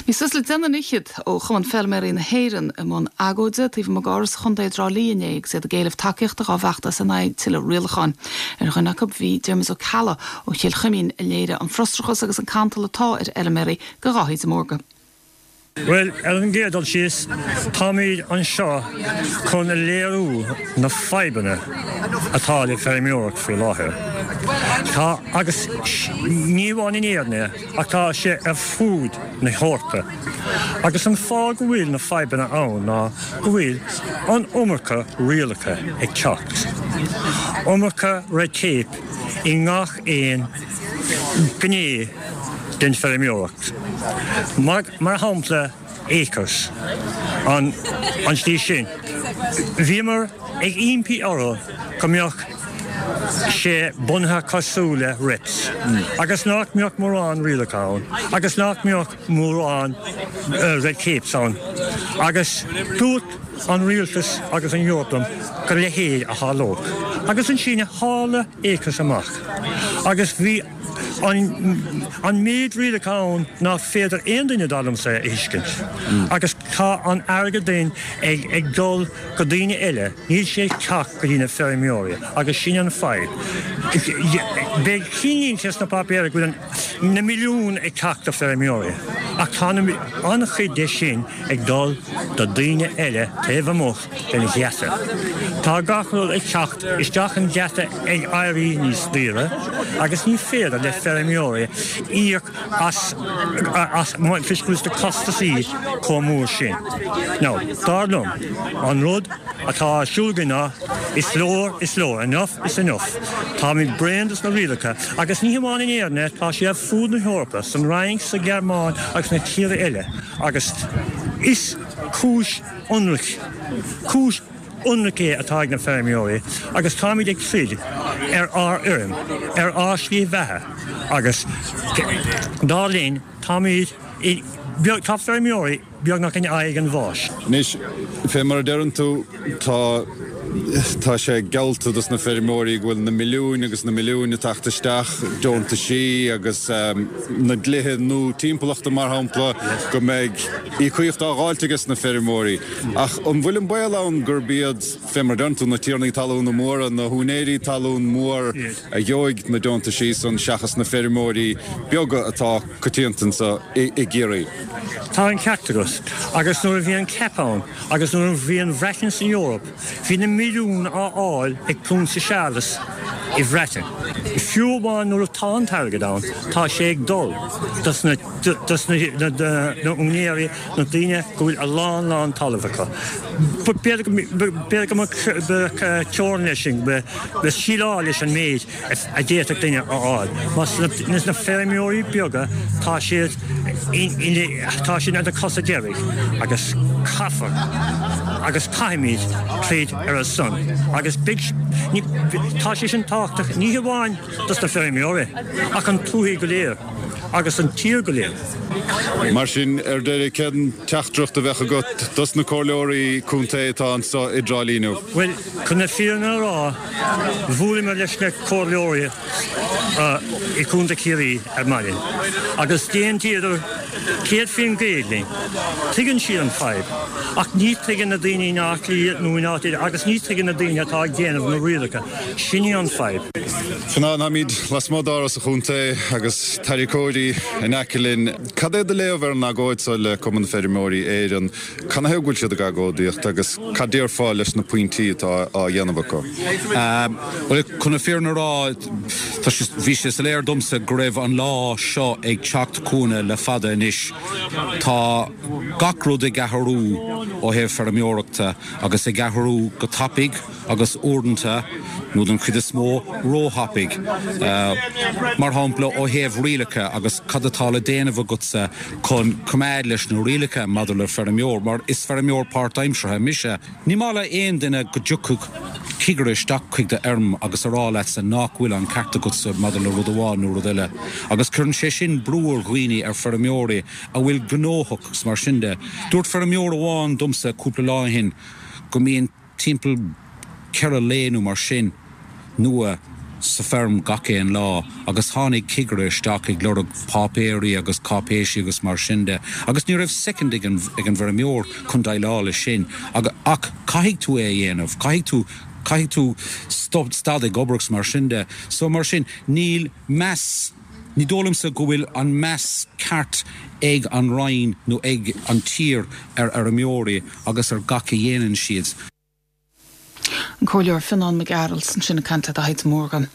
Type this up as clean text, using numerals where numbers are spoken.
Bhí suas le deichniúr fhichead ó Chumann Feilméaraí na hÉireann i mbun agóide taobh amuigh d'Áras an Chontae i dTrá Lí inné agus iad ag éileamh tacaíochta dhá bhfeachtas in aghaidh tuilleadh rialacháin. Ar dhuine acu bhí Diarmuid Ó Ceallaigh ó Chill Chuimín a léirigh an frustrachas agus an cantal atá ar fheilméaraí do Dháithí de Mórdha. Bhuel, ar an gcéad dul síos, táimid anseo chun a léiriú na fadhbanna atá le feirmeoireacht faoi láthair. Tá, agus ní amháin in Éirinn é, ach tá sé ar fud na hEorpa. Agus an fáth go bhfuil na fadhbanna ann ná go bhfuil an iomarca rialacha ag teacht. Iomarca red tape i ngach aon ghné den feirmeoireacht. Mar shampla ACRES, an tslí sin. Bhíomar ag impí orthu go mbeadh sé bunaithe cosúil le REPS agus nach mbeadh mórán rialacha ann agus nach mbeadh mórán red tapes ann agus dúirt an rialtas agus an Eoraip liom go leithéid a tharlódh. Agus ansin tharla ACRES amach agus bhí an méid rialacha ann nach féidir aon duine dar liomsa a thuiscint. Agus tá an airgead sin ag dul go daoine eile, níl sé ag teacht go dtí na feirmeoirí agus sin an fadhb. Beidh cinnlínte sna páipéir go bhfuil na milliúin ag teacht do feirmeoirí ach tá an-chuid de sin ag dul do daoine eile taobh amuigh den gheata. Tá gach rud ag teacht isteach an geata ag éirí níos daoire agus ní féidir le feirmeoirí íoc as as toisc go bhfuil na costasaí chomh mór sin. Now, dar liom, an rud atá ar siúl againn ná is leor is leor, enough is enough. Táimid bréan dos na rialacha agus ní hamháin in Éirinn é, tá sé ar fud na hEorpa, san Fhrainc, sa Ghearmáin agus na tíortha eile agus is cúis ionraic, cúis ionraic é atá ag na feirmeoirí agus táimid ag troid ar ár bhfeirm, ar ár slí bheatha agus dar linn táimid, tá feirmeoirí beagnach in aghaidh an bháis. Anois, fé mar a deireann tú, tá, tá sé geallta dos na feirmeoirí go bhfuil na milliúin agus na milliúin ag teacht isteach, deontaisí agus na dlíthe nua timpeallachta mar shampla, go mbeidh íocaíocht á dháilt ages na feirmeoirí. Ach an bhfuil an baol ann gurb iad, fé mar a deireann tú, na tiarnaí talúna móra, na húinéirí talún mór a gheobhaidh na deontaisí san seachas na feirmeoirí beaga atá coitianta anso i gCiarraí? Tá an ceart agat. Agus nuair a bhí an CAP ann agus nuair a bhí an Bhreatain san Eoraip, bhí na milliúin á fháil ag Prionsa Séarlas i Bhreatain. Fiú amháin nuair atá an t-airgead ann, tá sé ag dul dos na dos na úinéirí, na daoine go bhfuil a lán lán talamh acu. B'fhéidir go mbeadh teorainn leis sin, le síleáil leis an méid a d'fhéadfadh duine a fháil. Mar na feirmeoirí beaga tá siad tá siad ar na cosa deiridh agus caithfear agus caithfimid troid ar a son agus beidh tá sé sin tábhachtach ní hamháin dos na feirmeoirí ach an tuath go léir agus an tír go léir. Mar sin, ar deireadh, cén teachtaireacht a bheadh agat dos na comhairleoirí contae atá anso i dTrá Lí inniu? Bhuel, chun na fírinne a rá, bhuaileamar leis na comhairleoirí i gContae Chiarraí ar maidin agus d'aontaíodar 100% linn. Tuigeann siad an fadhb, ach ní tuigeann na daoine in Áth Cliath nó in áit eile agus ní tuigeann na daoine atá ag déanamh na rialacha. Sin í an fadhb. Fionán, táimid lasmuigh d'Áras an Chontae agus tarracóirí in aice linn. Cad é do léamh ar an agóid seo le Cumann Feirmeoirí Éireann? Canathaobh go bhfuil siad ag agóidíocht agus cad déarfá leis na pointí atá á dhéanamh acu? Bhuel, chun na fírinne a rá, tá sé, bhí sé soiléir domsa go raibh an lá seo ag teacht chugainne le fada anois. Tá gach rud ag athrú ó thaobh feirmeoireachta agus ag athrú go tapaidh. agus uaireanta, nó den chuid is mó, róthapaidh. Mar shampla, ó thaobh rialacha agus cad atá le déanamh agatsa chun coimeád leis na rialacha maidir le feirmeoir, mar is feirmeoir páirtaimseartha mise. Ní maith le aon duine go dtiocfadh cigire isteach chuig do fheirm agus a rá leatsa nach bhfuil an ceart agatsa maidir le rud amháin nó rud eile. Agus cuireann sé sin brú ar dhaoine, ar feirmeoirí a bhfuil gnóthach agus mar sin de. Dúirt feirmeoir amháin domsa cúpla lá ó shin go mbíonn. timpeall 4 lao nó mar sin nua. sa feirm gach aon lá agus tháinig cigire isteach ag lorg páipéirí agus cáipéisí agus mar sin de agus ní raibh soicind ag an ag an bhfeirmeoir chun déileáil leis sin ach caithfidh tú é a dhéanamh, caithfidh tú caithfidh tú stop stad ag obair agus mar sin de. So mar sin níl meas, ní dóigh liomsa go bhfuil an meas ceart ag an Roinn nó ag an tír ar fheirmeoirí agus ar gach a dhéanann siad. An Comhairleoir Fionán Mac Gearailt ansin ag caint le Daithí de Mórdha.